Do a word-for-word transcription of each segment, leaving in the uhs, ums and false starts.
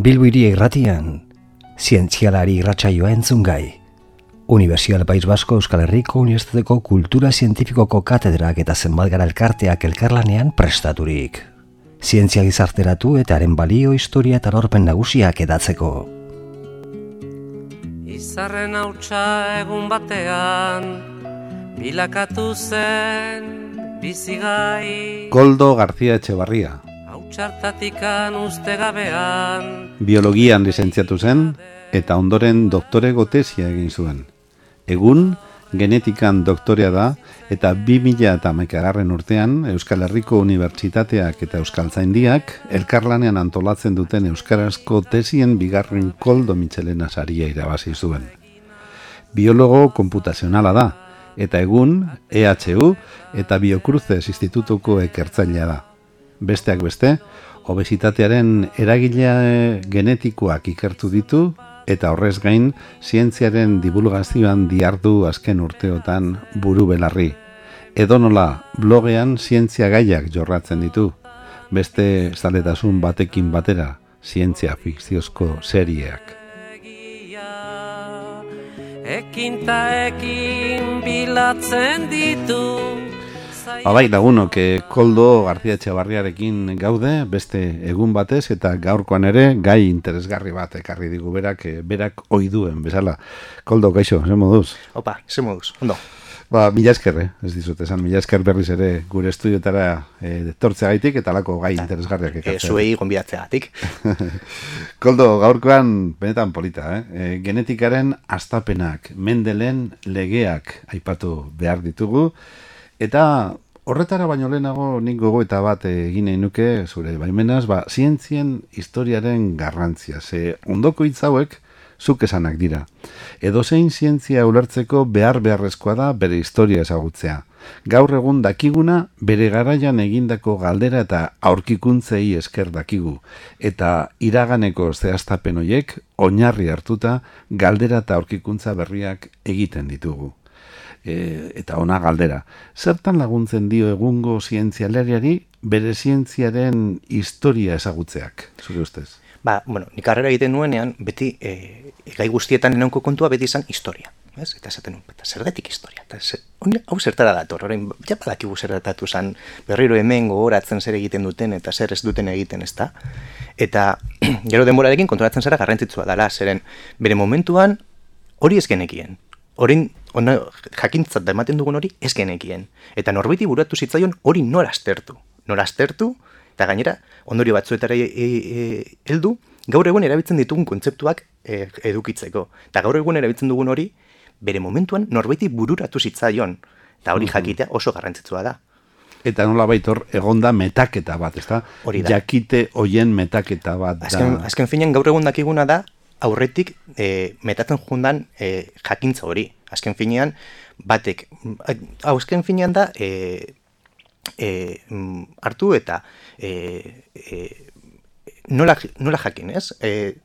Bilbo Hiria Irratian, zientzialari irratsaioa entzungai. Unibertsial País Basko Euskal Herriko Unibertsitateko Kultura Zientifikoko katedrak eta zenbat gara elkarteak elkarlanean prestaturik. Zientzia gizarteratu eta haren balio, historia eta lorpen nagusiak edatzeko. Izarren hautsa egun batean, bilakatu zen bizigai. Koldo García Etxebarria. Hautsa uste gabean. Biologian lizentziatu zen eta ondoren doktorego tesia egin zuen. Egun, genetikan doktorea da eta bi mila hamaikagarren urtean Euskal Herriko Unibertsitateak eta Euskaltzaindiak elkarlanean antolatzen duten euskarazko tesien bigarren Koldo Mitxelena saria irabazi zuen. Biologo konputazionala da eta egun E H U eta Biocruces Institutuko ikertzailea da. Besteak beste, obesitatearen eragile genetikoak ikertu ditu eta horrez gain zientziaren divulgazioan dihardu azken urteotan buru belarri. Edonola blogean zientzia gaiak jorratzen ditu, beste zaletasun batekin batera zientzia fikziozko serieak. Ekin ta ekin bilatzen ditu. Bai, lagunok, Koldo García Etxebarriarekin gaude, beste egun batez, eta gaurkoan ere gai interesgarri bat ekarri digu berak, berak oiduen, bezala. Koldo, kaixo, ze moduz? Opa, ze moduz, ondo. Ba, mila esker, eh? ez dizut, esan, mila esker berriz ere gure estudiotara e, tortzeagaitik eta lako gai interesgarriak ekartzea. E, zuei gonbidatzeagatik. Koldo, gaurkoan benetan polita, eh? E, genetikaren astapenak, Mendelen legeak aipatu behar ditugu, eta horretara baino lehenago nik gogoeta bat egin nahi nuke, zure baimenaz, ba, zientzien historiaren garrantzia. Ze ondoko hitz hauek zuk esanak dira. Edozein zientzia ulertzeko behar beharrezkoa da bere historia ezagutzea. Gaur egun dakiguna bere garaian egindako galdera eta aurkikuntzei esker dakigu. Eta iraganeko zehaztapen horiek oinarri hartuta galdera eta aurkikuntza berriak egiten ditugu. E, eta ona galdera. Zertan laguntzen dio egungo zientzialariari bere zientziaren historia ezagutzeak, zure ustez? Ba, bueno, nik karrera egiten nuenean, beti, e, gai guztietan enonko kontua beti izan historia. Ez? Eta esaten nuen, eta zergatik historia. Eta zer, hau zertara dator, orain, ja badakigu zertatu zen, berriro hemen gogoratzen zer egiten duten eta zer ez duten egiten, ez da? Eta gero denborarekin kontrolatzen zara garrantzitsua dela, zeren bere momentuan hori ez genekien. Horin, ona, jakintzat da ematen dugun hori ez genekien. Eta norbaiti buratu zitzaion hori nora aztertu. Nora aztertu, eta gainera, ondorio batzuetara heldu, e, e, gaur egun erabiltzen ditugun kontzeptuak e, edukitzeko. Eta gaur egun erabiltzen dugun hori, bere momentuan norbaiti bururatu zitzaion. Eta hori jakitea oso garrantzitsua da. Eta nola baitor, egonda metaketa bat, ez da? Hori da. Jakite hoien metaketa bat da. Azken, azken finean gaur egun dakiguna da, aurretik e, metatzen jundan e, jakintza hori. Azken finean, batek, azken finean da, e, e, hartu eta e, e, nola, nola jakin, ez? E,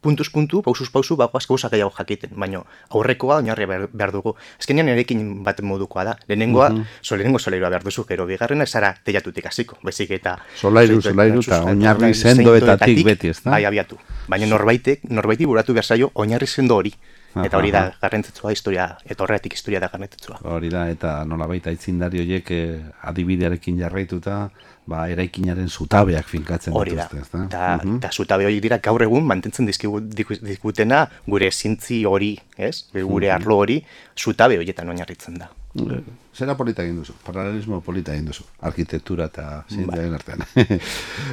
puntuz puntu, pausuz pausu, bagoaz gauza gehiago jakiten, baina aurrekoa oinarria behar, behar dugu. Azkenean erekin bat modukoa da. Lehenengoa, uh-huh. so, lehenengo solairoa behar duzu, gero bigarrena ez ara teiatutik hasiko, bezik eta... Solairu, solairu, eta oinarri sendoetatik beti, ez da? Bai, abiatu. Baina norbaitek, norbaiti buratu behar zaio oinarri sendo hori. Eta hori da garrantzitsua historia, eta horretik historia da garrantzitsua. Hori da, eta nolabait aitzindari horiek eh, adibidearekin jarraituta, ba, eraikinaren zutabeak finkatzen dituzte, ez da? Eta uh-huh. zutabe horiek dira gaur egun mantentzen dizkutena gure zintzi hori, ez? Gure uh-huh. arlo hori, zutabe horietan oinarritzen da. Zera polita egin duzu, paralelismo polita egin duzu, arkitektura eta zientziaren artean.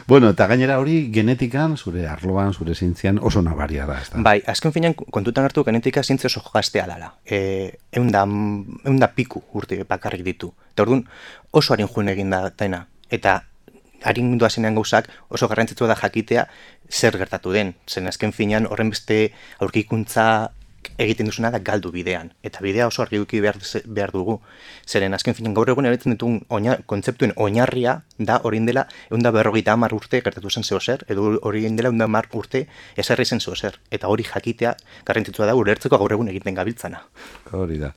Bueno, eta gainera hori genetikan, zure arloan, zure zientzian oso nabaria da, ez da? Bai, azken finean kontutan hartu genetika zientzia oso gaztea dala. E, eunda, eunda piku urte bakarrik ditu. Eta orduan oso harin juen egin da dena. Eta harin doazenean gauzak oso garrantzitsua da jakitea zer gertatu den. Zen azken finean horren beste aurkikuntza egiten duzuna da galdu bidean. Eta bidea oso argi eduki behar, behar dugu. Zeren azken finan gaur egun erabiltzen ditugun oina, kontzeptuen oinarria da orain dela ehun eta berrogeita hamar urte gertatu zen zeo zer, edo orain dela ehun eta hamar urte ezarri zen zeo zer. Eta hori jakitea garrantzitsua da ulertzeko gaur egun egiten gabiltzana. Hori da.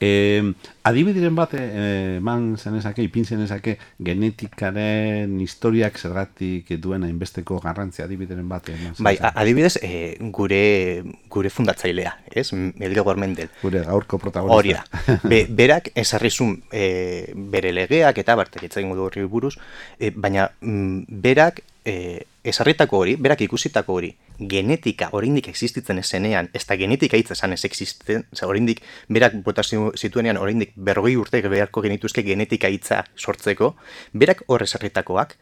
E, adibideren bat eman zenezake, ipin zenezake genetikaren historiak zergatik duen hainbesteko garrantzia adibideren bat eman zenezake. Bai, adibidez e, gure gure fundatzailea, ez? Gregor Mendel. Gure gaurko protagonista. Hori da. Be, berak ezarrizun e, bere legeak eta bartek etzagin du horri buruz, e, baina m, berak e, ezarritako hori, berak ikusitako hori, genetika oraindik existitzen ezenean, ez da genetika hitza esan ez existitzen, oraindik berak bota zituenean oraindik berrogei urte beharko genituzke genetika hitza sortzeko, berak hor ezarritakoak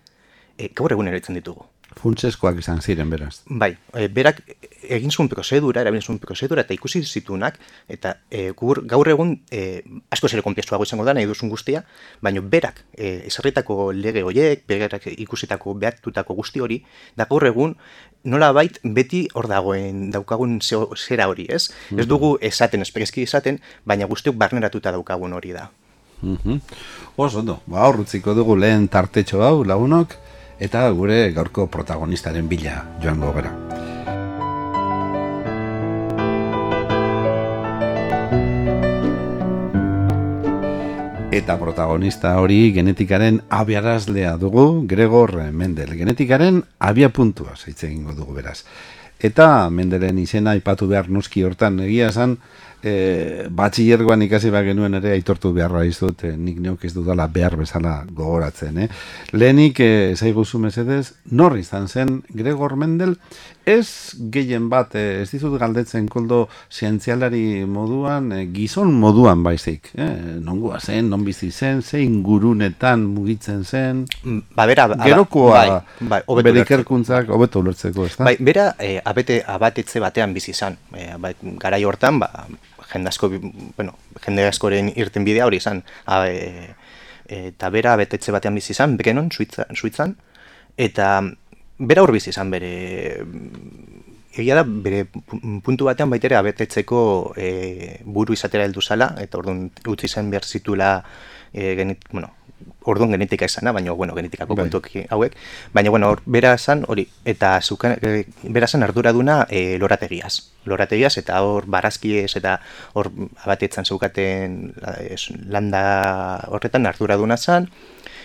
e, gaur egun erabiltzen ditugu. Funtseskoak izan ziren, beraz. Bai, e, berak egin zuen prozedura, erabilin zuen prozedura eta ikusi zitunak, eta e, gur, gaur egun e, asko zere konplexuago izango da, nahi duzun guztia, baina berak e, ezarritako lege horiek, berak ikusitako behatutako guzti hori, da gaur egun nola bait beti hor dagoen daukagun zera hori, ez? Mm-hmm. Ez dugu esaten, espreski esaten, baina guztiok barneratuta daukagun hori da. Mm-hmm. Oso ondo, ba, horrutziko dugu lehen tartetxo hau lagunok, eta gure gaurko protagonistaren bila joango gara. Eta protagonista hori genetikaren abiarazlea dugu, Gregor Mendel. Genetikaren abiapuntua hitz egingo dugu beraz. Eta Mendelen izena aipatu behar noski hortan egia esan, e, batxillergoan ikasi bat genuen ere aitortu beharra izut, e, nik neok ez dudala behar bezala gogoratzen. Eh? Lehenik, e, zaiguzu mesedez, nor izan zen Gregor Mendel, ez gehien bat, e, ez dizut galdetzen koldo zientzialari moduan, e, gizon moduan baizik. Eh? Nongoa zen, non bizi zen, zein gurunetan mugitzen zen, ba, bera, gerokoa bai, bai, bere ikerkuntzak hobeto ulertzeko, ez da? Bai, bera, e, abete, abatetze batean bizi izan. E, bai, garai hortan, ba, jende asko, bueno, jende askoren irten bidea hori izan. A, e, eta bera abetetze batean bizi izan, Bekenon, Suitzan, eta bera hor bizi izan bere, egia da, bere puntu batean baitere abetetzeko e, buru izatera heldu zala, eta orduan utzi zen behar zituela, e, genit, bueno, orduan genetika izana, baina, bueno, genetikako bai. kontuak hauek, baina, bueno, or, bera zan hori, eta zuka, e, bera zan arduraduna e, lorategiaz. Lorategiaz, eta hor barazkiez, eta hor abatetzen zeukaten es, landa horretan arduraduna zan,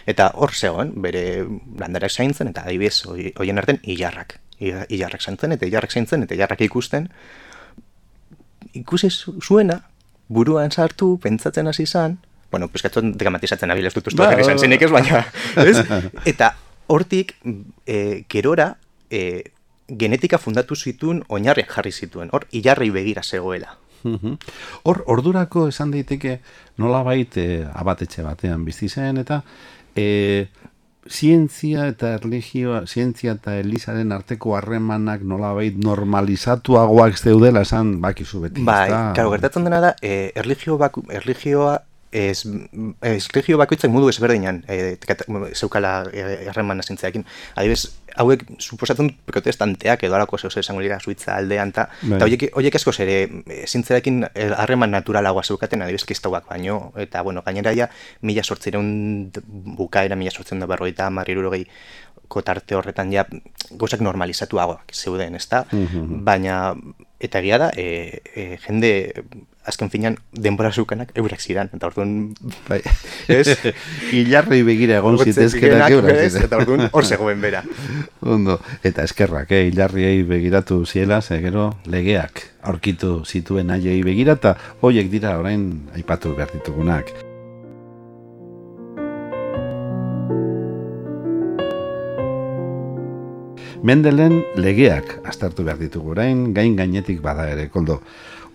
eta hor zegoen, bere landarak zaintzen, eta adibidez, hoien artean, ilarrak. Ilarrak zaintzen, eta ilarrak zaintzen, eta ilarrak ikusten. Ikusi zuena, buruan sartu, pentsatzen hasi zan, bueno, peskatzen dekamatizatzen abil ez dut ustu jarri izan zenik ez, baina, ez? Eta hortik, e, gerora, e, genetika fundatu zituen, oinarriak jarri zituen, hor, ilarrei begira zegoela. Hor, ordurako esan daiteke nolabait e, abatetxe batean bizi zen, eta e, zientzia eta erlijioa, zientzia eta elizaren arteko harremanak nolabait normalizatuagoak zeudela esan bakizu beti. Bai, claro, gertatzen dena da, e, erlijio baku, erlijioa Ez, ez erlijio bakoitzak modu ezberdinan e, zeukala harreman azintzeakin. Adibidez, hauek suposatzen protestanteak edo alako zeu esango dira Suitza aldean, eta horiek, horiek askoz ere zintzeakin harreman naturalagoa zeukaten, adibidez, kristauak baino, eta bueno, gainera ja, mila sortzireun bukaera, mila sortzireun da berrogeita hamar hirurogei kotarte horretan ja gauzak normalizatuagoak zeuden, ezta? Mm-hmm. Baina, eta egia da, e, e, jende azken finean denbora zeukanak eurak zidan, eta orduan, bai, ez? Ilarrei begira egon zitezkenak eurak zidan. Eta orduan hor zegoen bera. Ondo, eta eskerrak, eh? Ilarriei begiratu ziela, ze gero legeak aurkitu zituen haiei begira, eta hoiek dira orain aipatu behar ditugunak. Mendelen legeak aztertu behar ditugu orain, gain gainetik bada ere, koldo.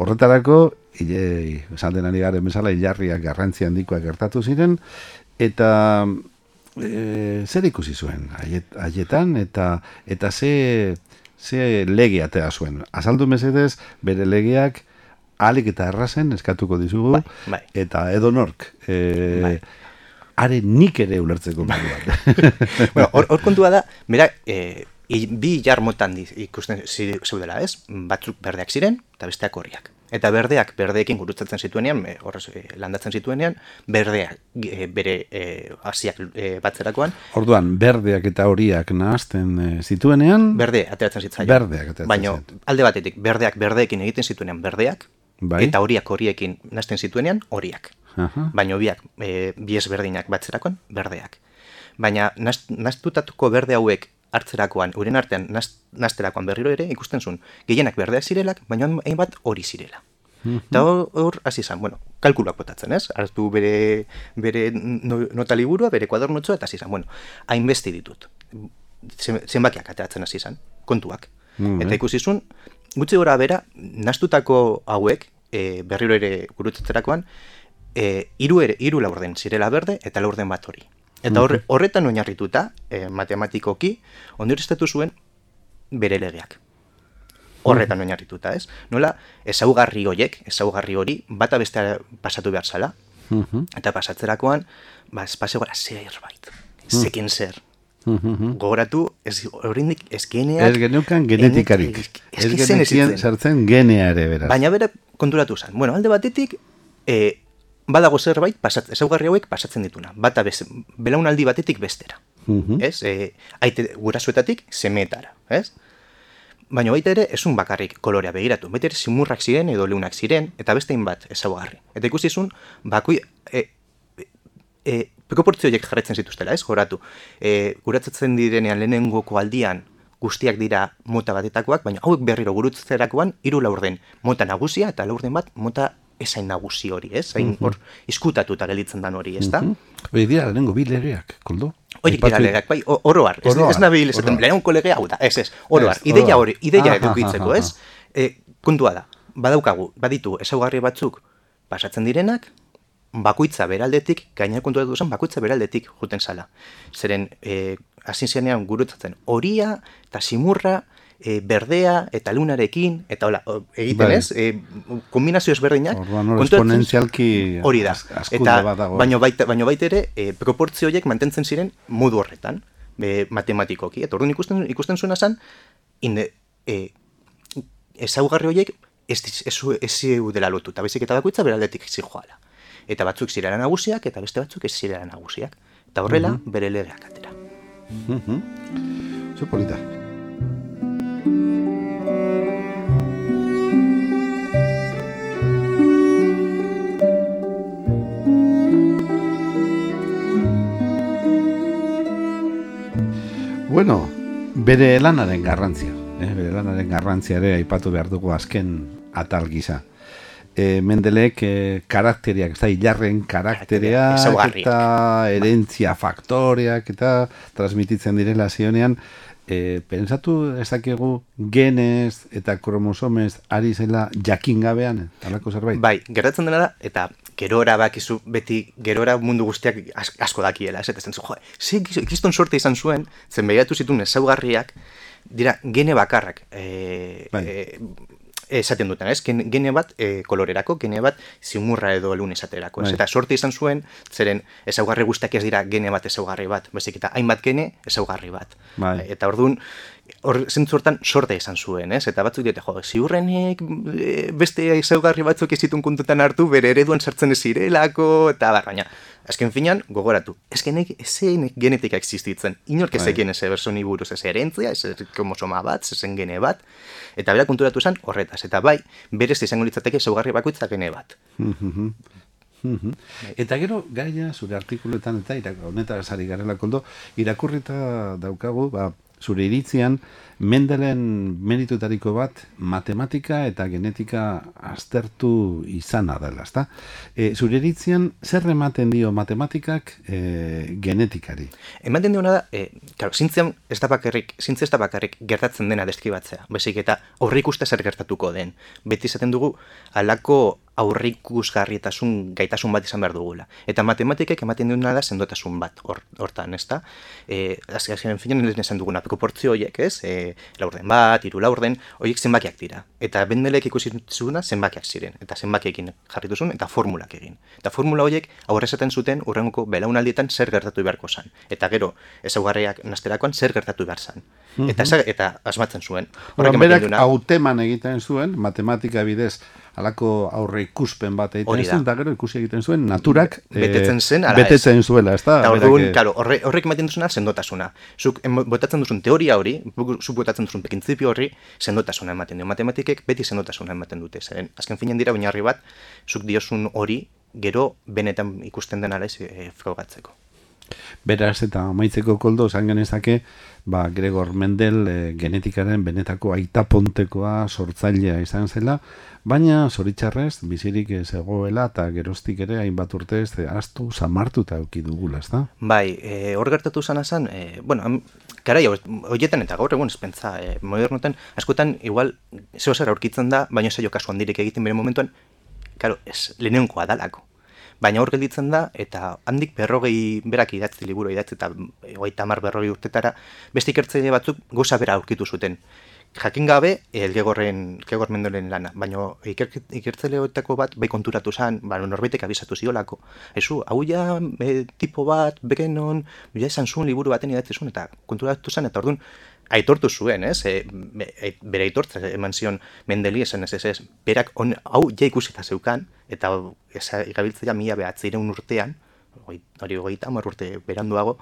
Horretarako, ile, esan denari garen bezala, ilarriak garrantzi handikoak gertatu ziren, eta e, zer ikusi zuen haietan, eta, eta ze, ze lege atea zuen. Azaldu mesedez, bere legeak ahalik eta errazen eskatuko dizugu, bai, bai. Eta edonork, e, bai. Are nik ere ulertzeko moduan. Bueno, hor, hor kontua da, mera, e, bi ilar motan ikusten zeudela, ez? Batzuk berdeak ziren, eta besteak horriak. Eta berdeak berdeekin gurutzatzen zituenean, e, horrez e, landatzen zituenean, berdeak e, bere e, hasiak e, batzerakoan. Orduan, berdeak eta horiak nahazten e, zituenean... Berde, ateratzen zitzaien. Berdeak ateratzen Baina, alde batetik, berdeak berdeekin egiten zituenean berdeak, bai. Eta horiak horiekin nahazten zituenean horiak. Aha. Baina biak, e, bies berdinak batzerakoan, berdeak. Baina, nahaztutatuko berde hauek hartzerakoan, uren artean nahazterakoan berriro ere, ikusten zuen, gehienak berdeak zirelak, baina hainbat hori zirela. Eta hor, hasi izan, bueno, kalkuluak botatzen, ez? Hartu bere, bere nota liburua, bere kuadernotxoa, eta hasi izan, bueno, hainbeste ditut. Zenbakiak ateratzen hasi izan, kontuak. Mm, eta ikusi zuen, gutxi gora bera, nahaztutako hauek, e, berriro ere gurutzatzerakoan, e, hiru ere, hiru laurden zirela berde, eta laurden bat hori. Eta horre, horretan oinarrituta, eh, matematikoki, ondorioztatu zuen bere legeak. Horretan oinarrituta, ez? Nola, ezaugarri horiek, ezaugarri hori, bata bestea pasatu behar zala, eta pasatzerakoan, ba, espazio gara zerbait, zekin zer. Gogoratu, ez horrendik, ez geneak... Ez geneukan genetikarik. Ez genekien sartzen genea ere, beraz. Baina bera konturatu zen. Bueno, alde batetik, eh, badago zerbait, pasat, ezaugarri hauek pasatzen dituna. Bata bez, belaunaldi batetik bestera. Uh-huh. Ez? E, aite gurasoetatik semetara. Ez? Baina baita ere, esun bakarrik kolorea begiratu. Baita ere, simurrak ziren edo leunak ziren, eta bestein bat ezaugarri. Eta ikusi zuen, bakoi... E, e, proportzioiek jarretzen zituztela, ez? Goratu. E, guratzatzen direnean lehenengoko aldian guztiak dira mota batetakoak, baina hauek berriro gurutzerakoan hiru laurden mota nagusia eta laurden bat mota esain nagusi hori, ez? Hain hor iskutatuta gelditzen dan hori, ez da? Hori dira, lehenengo bi legeak, koldo? Horiek dira legeak, bai, oroar. Ez, ez nabil esaten, lehenengo legea hau da, ez, ez, oroar. Ideia hori, ideia edukitzeko, ez? E, kontua da, badaukagu, baditu ezaugarri batzuk pasatzen direnak, bakoitza beraldetik, gainera kontuatu zen, bakoitza beraldetik juten zala. Zeren, e, hasi zenean gurutzatzen horia eta simurra, E, berdea eta lunarekin, eta hola, egiten bai. Ez, e, kombinazio ezberdinak, esponentzialki hori da, eta baino baita, baino baita ere, e, proportzio horiek mantentzen ziren modu horretan, e, matematikoki, eta orduan ikusten, ikusten zuena zen, inde, e, ezaugarri horiek ez, ez, ez dela lotuta, bezik eta bakoitza beraldetik zijoala. Eta batzuk zirela nagusiak, eta beste batzuk ez zirela nagusiak. Eta horrela, uh-huh. bere legeak atera. Uh-huh. Zo polita. Bueno, bere lanaren garrantzia, eh? bere lanaren garrantzia ere aipatu behar dugu azken atal gisa. E, Mendelek e, karakteriak, ez da, hilarren karakteriak eta herentzia faktoreak eta transmititzen direla zionean, e, pensatu ezakegu genez eta kromosomez ari zela jakin gabean, talako zerbait? Bai, gertatzen dena da, eta gerora bakizu beti, gerora mundu guztiak asko dakiela, ez? Eta zen zu, jo, ze ikiston sorte izan zuen, zen behiratu zituen ezaugarriak, dira gene bakarrak, e, bai. e, esaten duten, ez? Gene bat e, kolorerako, gene bat zimurra edo lun esaterako, ez? Bai. Eta sorte izan zuen, zeren ezaugarri guztiak ez dira gene bat ezaugarri bat, bezik eta hainbat gene ezaugarri bat. Bai. Eta orduan, hor zentzu hortan sorte izan zuen, ez? Eta batzuk diote, jo, ziurrenek beste ezaugarri batzuk ez zituen kontutan hartu, bere ereduan sartzen ez zirelako, eta bar, baina, azken finean, gogoratu, ez zen genetika existitzen, inork ezekien ez bersoni buruz, ez herentzia, ez kromosoma bat, ez zen gene bat, eta bera konturatu zen horretaz, eta bai, berez izango litzateke ezaugarri bakoitza gene bat. Eta gero, gaia, zure artikuluetan eta honetaz ari garela koldo, irakurrita daukagu, ba, zure iritzian, Mendelen meritutariko bat matematika eta genetika aztertu izana dela, ezta? E, zure iritzian, zer ematen dio matematikak e, genetikari? Ematen diona da, e, claro, zintzian ez da bakarrik, zintzia ez da bakarrik gertatzen dena deskribatzea, bezik eta aurreikuste zer gertatuko den. Beti izaten dugu, halako aurreikusgarrietasun gaitasun bat izan behar dugula. Eta matematikek ematen diona da sendotasun bat hortan, ezta? E, azken finean esan duguna proportzio horiek, ez? E, laurden bat, hiru laurden, horiek zenbakiak dira. Eta Mendelek ikusi zuen zenbakiak ziren. Eta zenbakiekin jarritu zuen, eta formulak egin. Eta formula horiek aurre esaten zuten urrengoko belaunaldietan zer gertatu beharko zan. Eta gero, ezaugarriak nazterakoan zer gertatu behar zan. Eta, eta asmatzen zuen. Horrek berak hauteman egiten zuen, matematika bidez, alako aurre ikuspen bat egiten Hori da. zuen, eta gero ikusi egiten zuen naturak Betetzen zen, ala betetzen zuela, ez da? Eta orduan, claro, horre, horrek ematen duzuna sendotasuna. Zuk em- botatzen duzun teoria hori, zuk botatzen duzun printzipio horri, sendotasuna ematen dio. Matematikek beti sendotasuna ematen dute. Zeren, azken finean dira oinarri bat, zuk diozun hori, gero benetan ikusten denara ez e, frogatzeko. Beraz, eta amaitzeko Koldo, esan genezake, ba, Gregor Mendel e, genetikaren benetako aitapontekoa sortzailea izan zela, baina zoritxarrez, bizirik ez egoela eta geroztik ere hainbat urtez e, astu samartuta eduki dugula, ez da? Bai, e, hor gertatu zana zen, e, bueno, am, karai, horietan eta gaur egun espentza, e, modernotan, askotan, igual, zeo zer aurkitzen da, baina zailo kasu handirik egiten bere momentuan, karo, ez, lehenenkoa dalako. Baina hor gelditzen da, eta handik berrogei berak idatzi liburu idatzi eta hogeita hamar berrogei urtetara, beste ikertzaile batzuk goza bera aurkitu zuten. Jakin gabe, Elgegorren, Elgegor Mendolen lana, baina iker, ikertzaileetako bat bai konturatu zen, ba, norbaitek abisatu ziolako. Ezu, hau ja e, tipo bat, bekenon, ja esan zuen liburu baten idatzi zuen, eta konturatu zen, eta orduan, aitortu zuen, ez? E, e, bere aitortza eman zion Mendeli esan ez ez ez, berak on, hau ja ikusita zeukan, eta igabiltzea mila behatzireun urtean, hori hogeita hamar urte beranduago,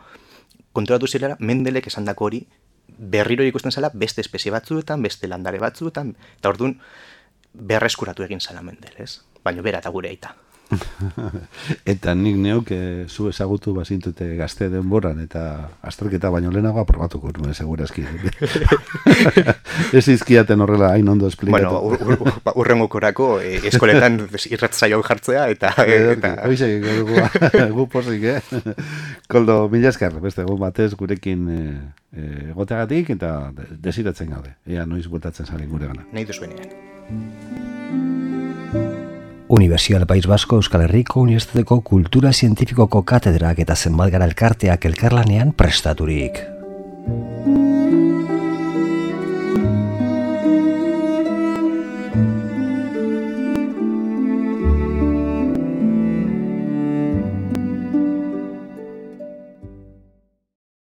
konturatu zirela Mendelek esandako hori berriro ikusten zela beste espezie batzuetan, beste landare batzuetan, eta orduan berreskuratu egin zela Mendel, ez? Baina bera eta gure aita. Eta nik neuk e, zu ezagutu bazintute gazte denboran eta azterketa baino lehenago aprobatuko nuen segurazki. Ez izkiaten horrela hain ondo esplikatu. Bueno, ur, ur, ur, urrengokorako e, eskoletan irratzaio jartzea eta... eta... Hoxe, gu posik, eh? Koldo, mila esker, beste egun batez gurekin e, e, egoteagatik eta desiratzen gabe. Ea noiz bueltatzen zaren gure gana. Nahi duzuenean. Universidad País Vasco Euskal Herriko Unibertsitateko Kultura Zientifikoko katedrak eta zenbat gara elkarteak elkarlanean prestaturik.